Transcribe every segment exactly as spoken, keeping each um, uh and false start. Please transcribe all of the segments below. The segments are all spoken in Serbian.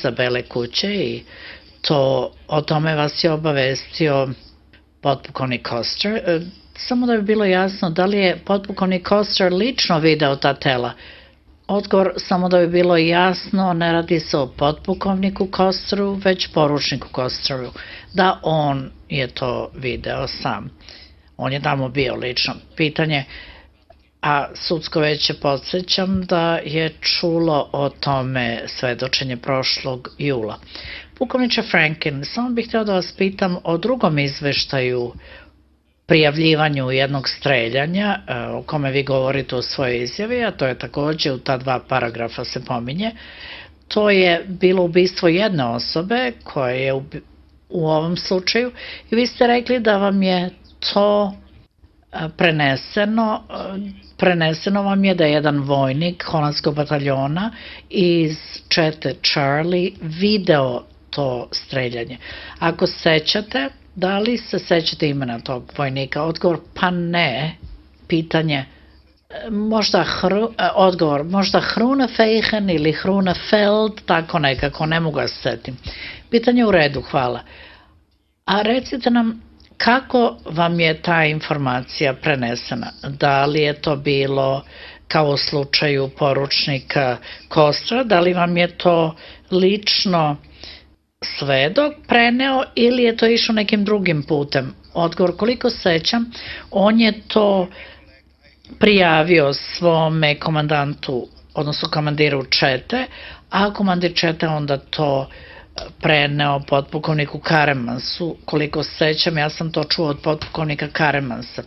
iza Bele kuće i to o tome vas je obavestio potpukovnik Koster. Samo da bi bilo jasno, da li je potpukovnik Koster lično video ta tela? Odgovor, samo da bi bilo jasno, ne radi se o potpukovniku Kosteru, već poručniku Kosteru, da on je to video sam. On je tamo bio lično. Pitanje, a sudsko veće podsjećam da je čulo o tome svedočenje prošlog jula. Pukovniče Franken, samo bih htio da vas pitam o drugom izveštaju prijavljivanju jednog streljanja o kome vi govorite u svojoj izjavi, a to je takođe u ta dva paragrafa se pominje. To je bilo ubistvo jedne osobe koja je u ovom slučaju i vi ste rekli da vam je to preneseno, preneseno vam je da je jedan vojnik holandskog bataljona iz čete Charlie video to streljanje. Ako sećate, da li se sećate imena tog vojnika? Odgovor, pa ne. Pitanje, možda hru, odgovor, možda Hrunefeichen ili Hrunefeld, tako nekako, ne mogu da se setim. Pitanje u redu, hvala. A recite nam, kako vam je ta informacija prenesena? Da li je to bilo kao u slučaju poručnika Kostra? Da li vam je to lično svedok preneo ili je to išlo nekim drugim putem? Odgovor, koliko sećam, on je to prijavio svome komandantu, odnosno komandiru čete, a komandir čete onda to preneo potpukovniku Karemansu. Koliko sećam, ja sam to čuo od potpukovnika Karemansa,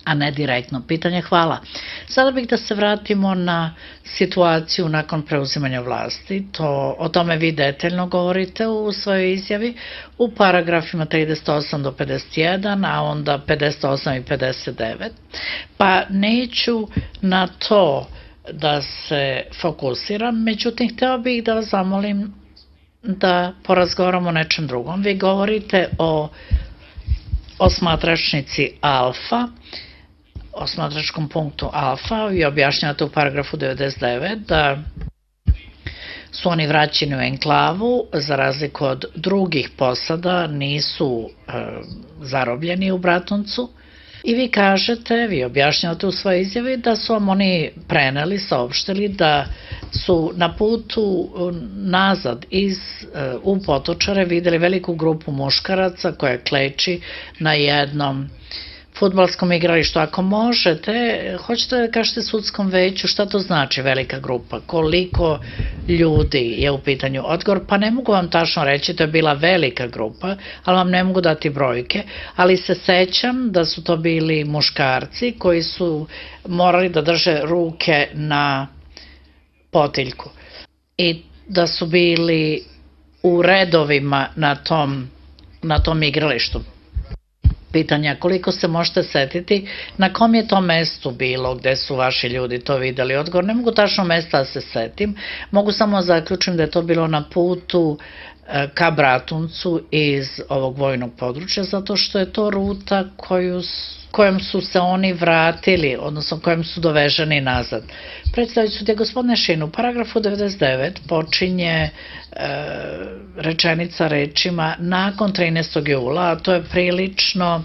a ne direktno. Pitanje, hvala. Sada bih da se vratimo na situaciju nakon preuzimanja vlasti. To, o tome vi detaljno govorite u svojoj izjavi u paragrafima trideset osam do pedeset jedan, a onda pedeset osam i pedeset devet. Pa neću na to da se fokusiram, međutim, hteo bih da vas zamolim da porazgovaramo o nečem drugom. Vi govorite o osmatračnici Alfa, osmatračkom punktu Alfa i objašnjavate u paragrafu devedeset devet da su oni vraćeni u enklavu, za razliku od drugih posada, nisu e, zarobljeni u Bratuncu. I vi kažete, vi objašnjavate u svojoj izjavi da su vam oni preneli, saopštili da su na putu nazad iz, u Potočare videli veliku grupu muškaraca koja kleči na jednom fudbalskom igralištu. Ako možete, hoćete da kažete sudskom veću šta to znači velika grupa, koliko ljudi je u pitanju? Odgovor, pa ne mogu vam tačno reći, to je bila velika grupa, ali vam ne mogu dati brojke, ali se sećam da su to bili muškarci koji su morali da drže ruke na potiljku i da su bili u redovima na tom, na tom igralištu. Pitanja, koliko se možete setiti, na kom je to mestu bilo gde su vaši ljudi to videli? Odgovor, ne mogu tačno mesta da se setim, mogu samo zaključim da je to bilo na putu ka Bratuncu iz ovog vojnog područja, zato što je to ruta koju, kojom su se oni vratili, odnosno kojom su doveženi nazad. Predstavljaju su te, gospodine Šin, u paragrafu devedeset devet počinje e, rečenica rečima nakon trinaestog jula, a to je prilično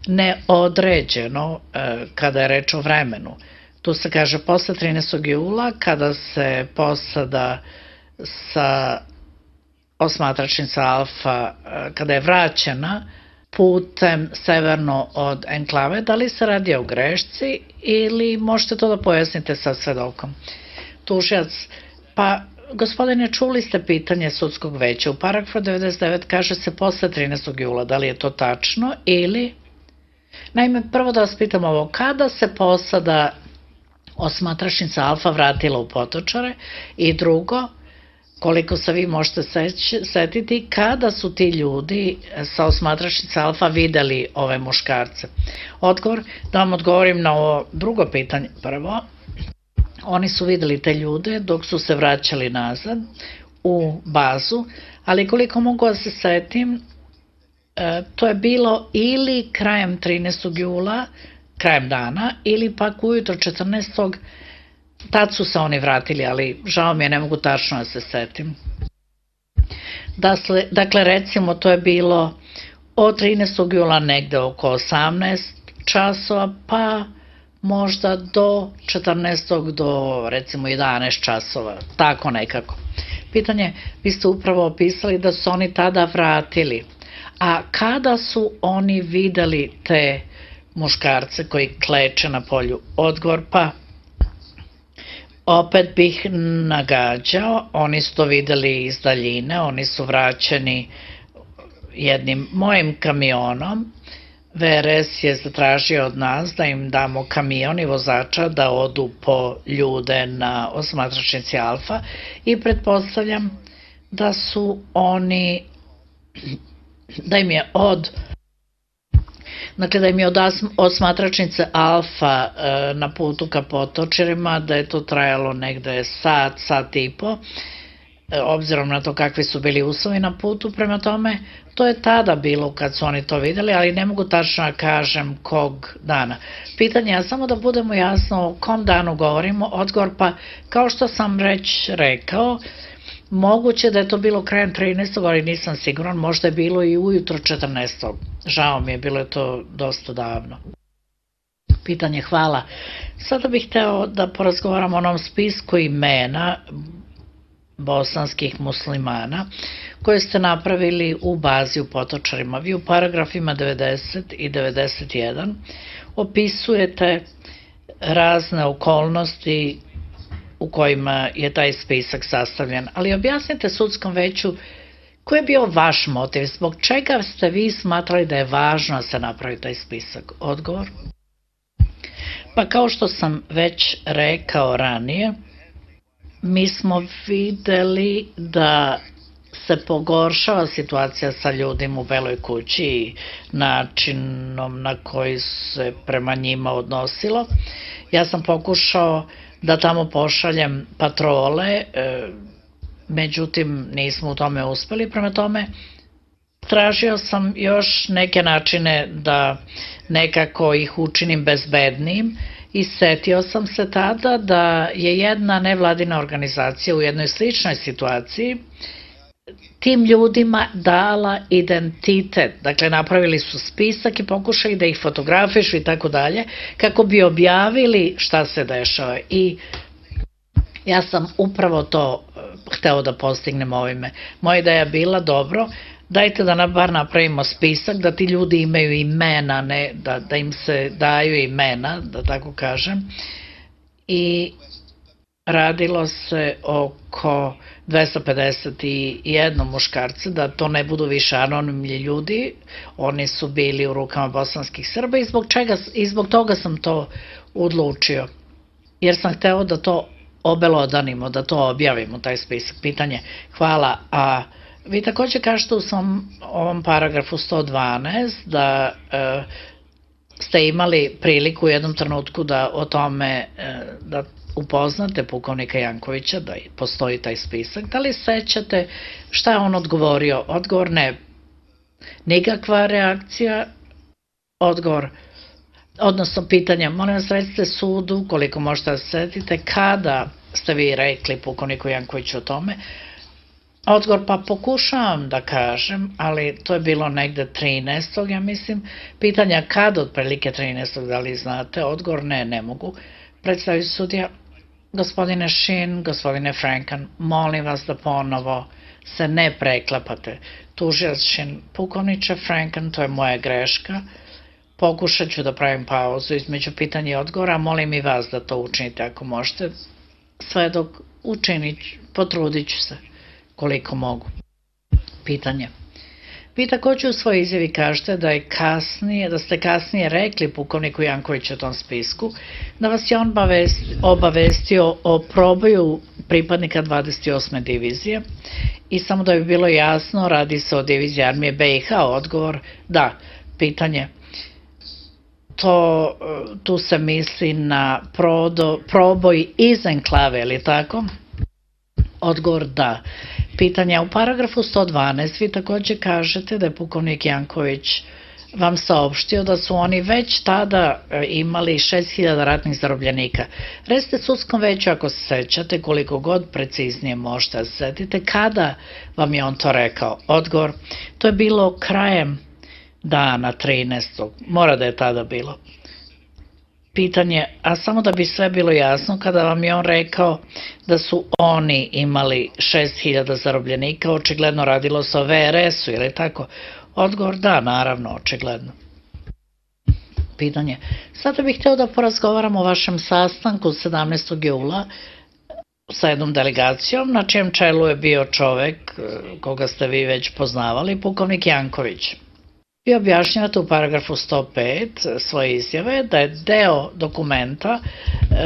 neodređeno e, kada je reč o vremenu. Tu se kaže posle trinaestog jula, kada se posada sa osmatračnica Alfa, kada je vraćena putem severno od enklave, da li se radi o grešci ili možete to da pojasnite sa svedokom? Tužilac, pa gospodine, čuli ste pitanje sudskog veća. U paragrafu devedeset devet kaže se posle trinaestog jula, da li je to tačno ili... Naime, prvo da vas pitam ovo, kada se posada osmatračnica Alfa vratila u Potočare i drugo, koliko se vi možete setiti, kada su ti ljudi sa osmatračnice Alfa videli ove muškarce? Odgovor, da vam odgovorim na ovo drugo pitanje. Prvo, oni su videli te ljude dok su se vraćali nazad u bazu, ali koliko mogu da se setim, to je bilo ili krajem trinaestog jula, krajem dana, ili pak ujutro četrnaestog Tad su se oni vratili, ali žao mi je, ne mogu tačno da se setim. Dakle, recimo, to je bilo od trinaestog jula negde oko osamnaest časova, pa možda do četrnaestog do recimo jedanaest časova, tako nekako. Pitanje, vi ste upravo opisali da su oni tada vratili, a kada su oni videli te muškarce koji kleče na polju? Odgovor, pa opet bih nagađao, oni su to videli iz daljine, oni su vraćeni jednim mojim kamionom. V R S je zatražio od nas da im damo kamion i vozača da odu po ljude na osmatračnici Alfa i pretpostavljam da su oni, da im je od Dakle, da im je od osmatračnice Alfa na putu ka Potočarima, da je to trajalo negde sat, sat i po, obzirom na to kakvi su bili uslovi na putu, prema tome, to je tada bilo kad su oni to videli, ali ne mogu tačno da kažem kog dana. Pitanje je samo da budemo jasno o kom danu govorimo, odgovor pa, kao što sam već rekao, moguće da je to bilo krajem trinaestog, ali nisam siguran, možda je bilo i ujutro četrnaestog. Žao mi je, bilo je to dosta davno. Pitanje, hvala. Sada bih hteo da porazgovaram o onom spisku imena bosanskih muslimana koje ste napravili u bazi u Potočarima. Vi u paragrafima devedeset i devedeset jedan opisujete razne okolnosti u kojima je taj spisak sastavljen, ali objasnite sudskom veću koji je bio vaš motiv, zbog čega ste vi smatrali da je važno da se napravi taj spisak? Odgovor? Pa kao što sam već rekao ranije, mi smo videli da se pogoršava situacija sa ljudima u Beloj kući i načinom na koji se prema njima odnosilo. Ja sam pokušao da tamo pošaljem patrole, međutim nismo u tome uspeli, prema tome tražio sam još neke načine da nekako ih učinim bezbednijim i setio sam se tada da je jedna nevladina organizacija u jednoj sličnoj situaciji tim ljudima dala identitet, dakle napravili su spisak i pokušali da ih fotografišu i tako dalje, kako bi objavili šta se dešava i ja sam upravo to hteo da postignem ovime. Moja ideja je bila, dobro, dajte da bar napravimo spisak, da ti ljudi imaju imena, ne, da, da im se daju imena, da tako kažem, i radilo se oko dvesta pedeset jedan muškarca, da to ne budu više anonimni ljudi, oni su bili u rukama bosanskih Srba i zbog, čega, i zbog toga sam to odlučio, jer sam hteo da to obelodanimo, da to objavimo, taj spisak. Pitanje, hvala, a vi takođe kažete u svom ovom paragrafu sto dvanaest da e, ste imali priliku u jednom trenutku da o tome, e, da upoznate pukovnika Jankovića, da postoji taj spisak. Da li sećate šta je on odgovorio? Odgovor ne. Nikakva reakcija? Odgovor. Odnosno pitanje, molim vas recite sudu, koliko možete da se setite, kada ste vi rekli pukovniku Jankoviću o tome? Odgovor, pa pokušavam da kažem, ali to je bilo negde trinaestog ja mislim. Pitanja kada, otprilike trinaestog da li znate? Odgovor, ne, ne mogu. Predstavlja sudija, gospodine Shin, gospodine Frankan, molim vas da ponovo se ne preklapate. Tužilac Shin, pukovniče Frankan, to je moja greška. Pokušat ću da pravim pauzu između pitanja i odgovora, molim i vas da to učinite ako možete. Sve dok učinit, potrudit ću se koliko mogu. Pitanje. Vi takođe u svojoj izjavi kažete da je kasnije, da ste kasnije rekli pukovniku Jankoviću o tom spisku, da vas je on obavestio o proboju pripadnika dvadeset osme divizije i samo da bi bilo jasno, radi se o diviziji armije B i H, odgovor da. Pitanje. To, tu se misli na prodo, proboj iz enklave, ili tako? Odgovor da. Pitanja, u paragrafu sto dvanaest vi takođe kažete da je pukovnik Janković vam saopštio da su oni već tada imali šest hiljada ratnih zarobljenika. Recite sudskom veću, ako se sećate, koliko god preciznije možete da se setite, kada vam je on to rekao? Odgovor, to je bilo krajem dana trinaestog Mora da je tada bilo. Pitanje, a samo da bi sve bilo jasno, kada vam je on rekao da su oni imali šest hiljada zarobljenika, očigledno radilo se o V R S-u, ili tako? Odgovor, da, naravno, očigledno. Pitanje, sada bih hteo da porazgovaram o vašem sastanku sedamnaestog jula sa jednom delegacijom, na čijem čelu je bio čovek koga ste vi već poznavali, pukovnik Janković. Vi objašnjavate u paragrafu sto pet svoje izjave da je deo dokumenta,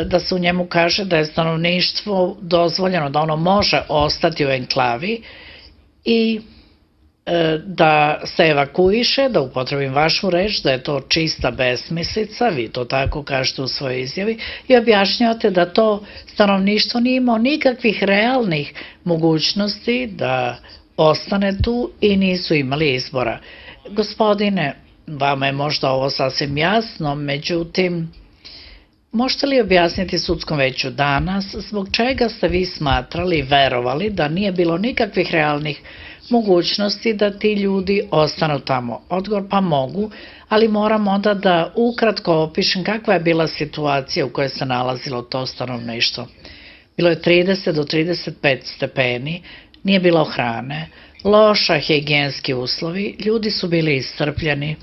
da se u njemu kaže da je stanovništvo dozvoljeno, da ono može ostati u enklavi i da se evakuiše, da upotrebim vašu reč, da je to čista besmislica, vi to tako kažete u svojoj izjavi, i objašnjavate da to stanovništvo nije imao nikakvih realnih mogućnosti da ostane tu i nisu imali izbora. Gospodine, vama je možda ovo sasvim jasno, međutim, možete li objasniti sudskom veću danas zbog čega ste vi smatrali i verovali da nije bilo nikakvih realnih mogućnosti da ti ljudi ostanu tamo? Odgovor, pa mogu, ali moram onda da ukratko opišem kakva je bila situacija u kojoj se nalazilo to stanovništvo. Bilo je trideset do trideset pet stepeni, nije bilo hrane, loša higijenski uslovi, ljudi su bili iscrpljeni.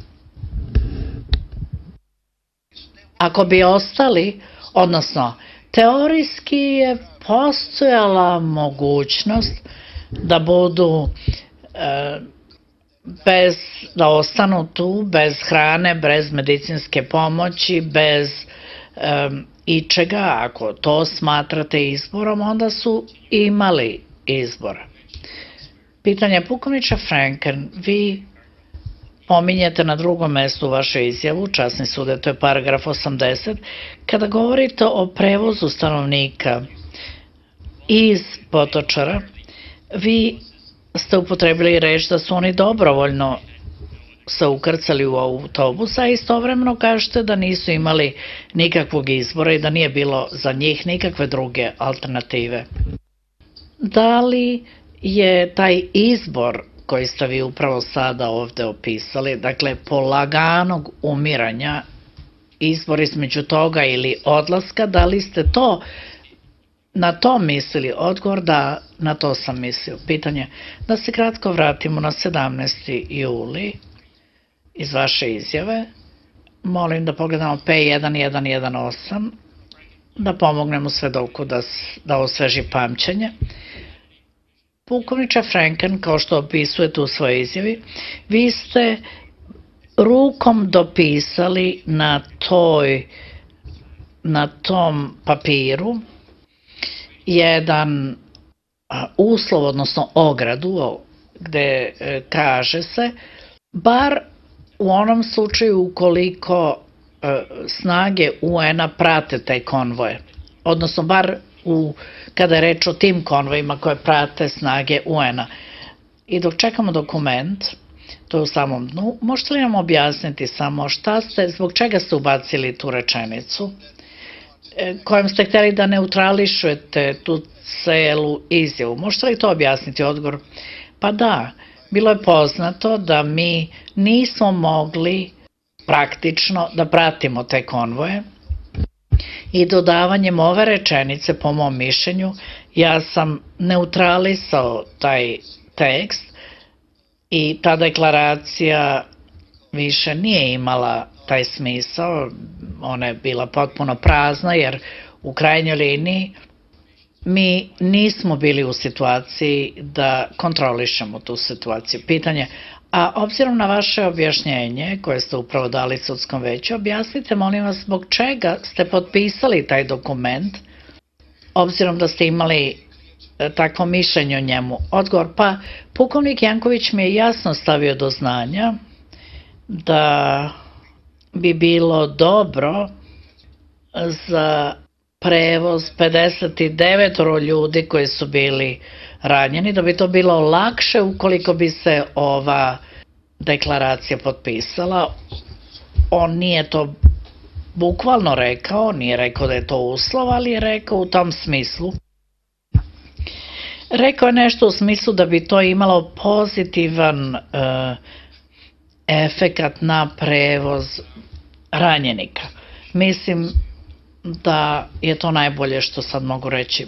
Ako bi ostali, odnosno, teorijski je postojala mogućnost da budu e, bez, da ostanu tu bez hrane, bez medicinske pomoći, bez e, ičega. Ako to smatrate izborom, onda su imali izbora. Pitanje, pukovniče Franken, vi pominjete na drugom mestu u vašoj izjavu, časni sude, to je paragraf osamdeset, kada govorite o prevozu stanovnika iz Potočara, vi ste upotrebili reč da su oni dobrovoljno se ukrcali u autobus, a istovremeno kažete da nisu imali nikakvog izbora i da nije bilo za njih nikakve druge alternative. Da li je taj izbor koji ste vi upravo sada ovde opisali, dakle polaganog umiranja, izbor između toga ili odlaska, da li ste to na to mislili? Odgovor, da, na to sam mislio. Pitanje, da se kratko vratimo na sedamnaesti juli iz vaše izjave. Molim da pogledamo P jedan jedan jedan osam, da pomognemo svedoku da, da osveži pamćenje. Pukovniče Franken, kao što opisujete u svojoj izjavi, vi ste rukom dopisali na toj, na tom papiru jedan uslov, odnosno ogradu, gde kaže se, bar u onom slučaju ukoliko snage U N-a prate taj konvoje, odnosno bar u, kada je reč o tim konvojima koje prate snage U N-a. I dok čekamo dokument, to je u samom dnu, možete li nam objasniti samo šta ste, zbog čega ste ubacili tu rečenicu, kojom ste hteli da neutrališujete tu celu izjavu? Možete li to objasniti? Odgovor, pa da, bilo je poznato da mi nismo mogli praktično da pratimo te konvoje i dodavanjem ove rečenice, po mom mišljenju, ja sam neutralisao taj tekst i ta deklaracija više nije imala taj smisao, ona je bila potpuno prazna jer u krajnjoj liniji mi nismo bili u situaciji da kontrolišemo tu situaciju. Pitanje, a obzirom na vaše objašnjenje koje ste upravo dali sudskom veću, objasnite molim vas zbog čega ste potpisali taj dokument, obzirom da ste imali takvo mišljenje o njemu. Odgovor, pa pukovnik Janković mi je jasno stavio do znanja da bi bilo dobro za prevoz pedeset devet ljudi koji su bili ranjeni, da bi to bilo lakše ukoliko bi se ova deklaracija potpisala. On nije to bukvalno rekao, nije rekao da je to uslov, ali je rekao u tom smislu. Rekao je nešto u smislu da bi to imalo pozitivan uh, efekat na prevoz ranjenika. Mislim da je to najbolje što sad mogu reći.